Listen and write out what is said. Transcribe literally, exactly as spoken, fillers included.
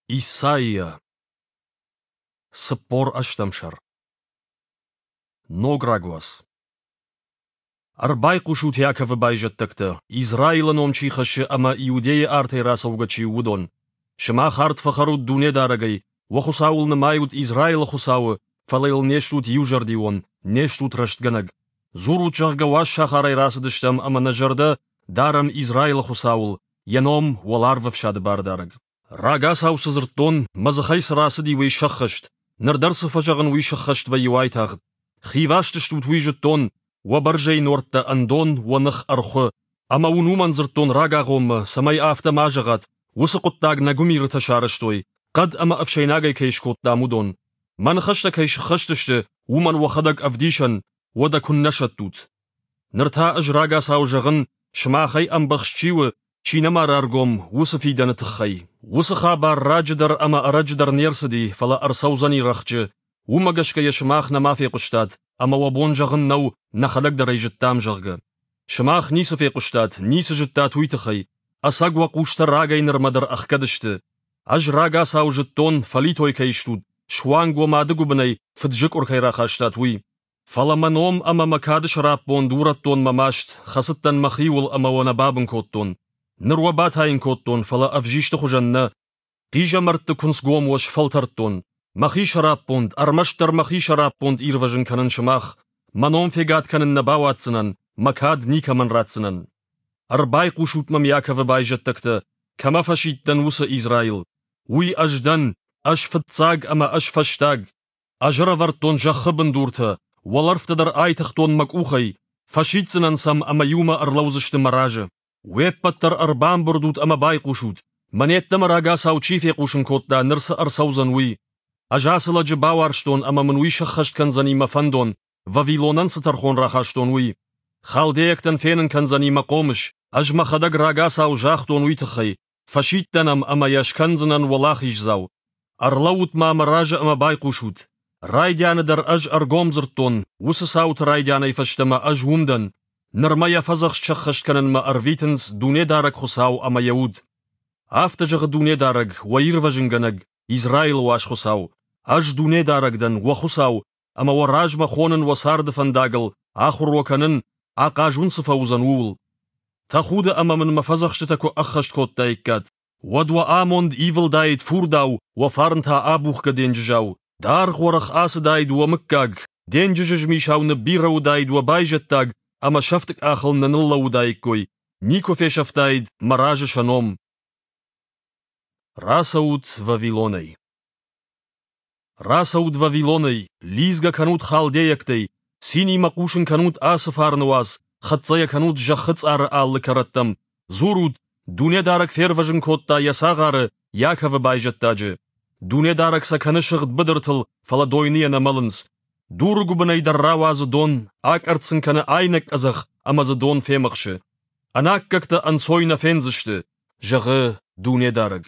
Исайя. Цыппор ӕстӕм сӕр. Ног рагуац. Ӕрбайхъусут, Иаковы байзӕддӕгтӕ, Израилы ном чи хӕссы ӕмӕ Иудейы артӕй рацӕугӕ чи у, уыдон. Сымах ард фӕхӕрут Дунедарӕгӕй, уӕ Хуыцауыл нымайут Израилы Хуыцауы, фӕлӕ йыл не стут иузӕрдион, не стут рӕстгӕнӕг. Дзурут, зӕгъгӕ, уаз сахарӕй рацыдыстӕм ӕмӕ нӕ зӕрдӕ дарӕм Израилы Хуыцауыл, йӕ ном Уӕларвӕфсады Бардарӕг. Рагацау цы дзырдтон, мӕ дзыхӕй цы рацыди, уый сӕххӕст, ныр дӕр цы фӕзӕгъын, уый сӕххӕст вӕййы уайтагъд. Хиваст стут, уый зыдтон, уӕ бӕрзӕй нуӕрттӕ ӕндон, уӕ ных ӕрхуы. Ӕмӕ уын уымӕн дзырдтон рагагъоммӕ, цӕмӕй афтӕ ма зӕгъат, уыцы хъуыддаг нӕ гуымирытӕ сарӕзтой, хъӕд ӕмӕ ӕфсӕйнагӕй кӕй скодтам, уыдон. Мӕ ныхӕстӕ кӕй сыххӕст сты, уымӕн уӕхӕдӕг ӕвдисӕн, уӕдӕ куыннӕ сӕттут. Ныр та ӕз рагацау зӕгъын, сымахӕй ӕмбӕхст чи у, чи нӕма раргом, уыцы фидӕны тыххӕй. Уыцы хабар раджы дӕр ӕмӕ ӕрӕджы дӕр не рцыди, фӕлӕ ӕрцӕудзӕни рӕхджы. Уымӕ гӕсгӕ йӕ сымах нӕма фехъуыстат, ӕмӕ уӕ бон зӕгъын нӕу, нӕхӕдӕг дӕр ӕй зыдтам, зӕгъгӕ. Сымах ницы фехъуыстат, ницы зыдтат уый тыххӕй, ӕцӕг уӕ хъустӕ рагӕй нырмӕ дӕр ӕхгӕд сты. Ӕз рагацау зыдтон, фӕлитой кӕй стут, суанг уӕ мады гуыбынӕй фыд-зыкъуыр кӕй рахастат, уый. Фӕлӕ мӕ ном ӕмӕ мӕ кады сӕраппонд урӕдтон мӕ маст, хӕцыдтӕн мӕхиуыл ӕмӕ уӕ нӕ бабын кодтон. Ныр уӕ батайын кодтон, фӕлӕ ӕвзисты хуызӕн нӕ, хъизӕмӕртты куынцгом уӕ сфӕлтӕрдтон. Мӕхи сӕраппонд, ӕрмӕстдӕр мӕхи сӕраппонд ирвӕзын кӕнын сымах. Мӕ ном фегад кӕнын нӕ бауадздзынӕн, мӕ кад никӕмӕн ратдзынӕн. Ӕрбайхъусут мӕм, Иаковы байзӕддӕгтӕ, кӕмӕ фӕсидтӕн, уыцы Израил. Уый ӕз дӕн, ӕз фыццаг ӕмӕ ӕз фӕстаг. Ӕз ӕрӕвӕрдтон зӕххы бындуртӕ, уӕлӕрвтӕ дӕр айтыгътон мӕ къухӕй, фӕсиддзынӕн сӕм ӕмӕ иумӕ ӕрлӕудзысты мӕ разы. Уе ппӕт дӕр ӕрбамбырд ут ӕмӕ байхъусут, мӕн йеддӕмӕ рагацау чи фехъусын кодта, ныр цы ӕрцӕудзӕн, уый. Ӕз ацы лӕджы бауарзтон ӕмӕ мын уый сӕххӕст кӕндзӕни мӕ фӕндон, Вавилонӕн цы тӕрхон рахастон, уый. Халдейӕгтӕн фенын кӕндзӕни мӕ хъомыс, ӕз мӕхӕдӕг рагацау загътон уый тыххӕй, фӕсидтӕн ӕм ӕмӕ йӕ скӕндзынӕн уӕлахиздзау. Ӕрлӕуут-ма мӕ разы ӕмӕ байхъусут. Райдианы дӕр ӕз ӕргом дзырдтон, уыцы цауты райдианӕй фӕстӕмӕ ӕз уым дӕн. Нырмӕ йӕ фӕдзӕхст сӕххӕст кӕнынмӕ ӕрвитынц Дунедарӕг Хуыцау ӕмӕ йӕ Уд. Афтӕ зӕгъы Дунедарӕг, уӕ Ирвӕзынгӕнӕг, Израилы уаз Хуыцау. Ӕз Дунедарӕг дӕн, уӕ Хуыцау, ӕмӕ уӕ размӕ хонын уӕ царды фӕндагыл, ахуыр уӕ кӕнын, ахъаз уын цы фӕуыдзӕн, ууыл. Тӕхуды ӕмӕ мын мӕ фӕдзӕхстытӕ куы ӕххӕст кодтаиккат, уӕд уӕ амонд ивылдаид фурдау, уӕ фарн та абухгӕ денджызау. Даргъ уӕрӕх ацыдаид уӕ мыггаг, денджызы змисау ныббирӕ уыдаид уӕ байзӕддаг ӕмӕ сӕфты къахыл нӕ ныллӕууыдаиккой, никуы фесӕфтаид мӕ разы сӕ ном. Рацӕут Вавилонӕй. Рацӕут Вавилонӕй, лидзгӕ кӕнут халдейӕгтӕй, цинимӕ хъусын кӕнут ацы фарны уац, хӕццӕ йӕ кӕнут зӕххы цъары алы кӕрӕттӕм, дзурут, Дунедарӕг фервӕзын кодта йӕ цагъары, Иаковы байзӕддаджы. Дунедарӕг сӕ кӕны сыгъд быдыртыл, фӕлӕ дойныйӕ нӕ мӕлынц. Дуры гуыбынӕй дӕр рауадзы дон, акъӕртт сын кӕны айнӕг къӕдзӕх ӕмӕ дзы дон фемӕхсы. Ӕнаккӕгтӕ ӕнцой нӕ фендзысты, зӕгъы Дунедарӕг.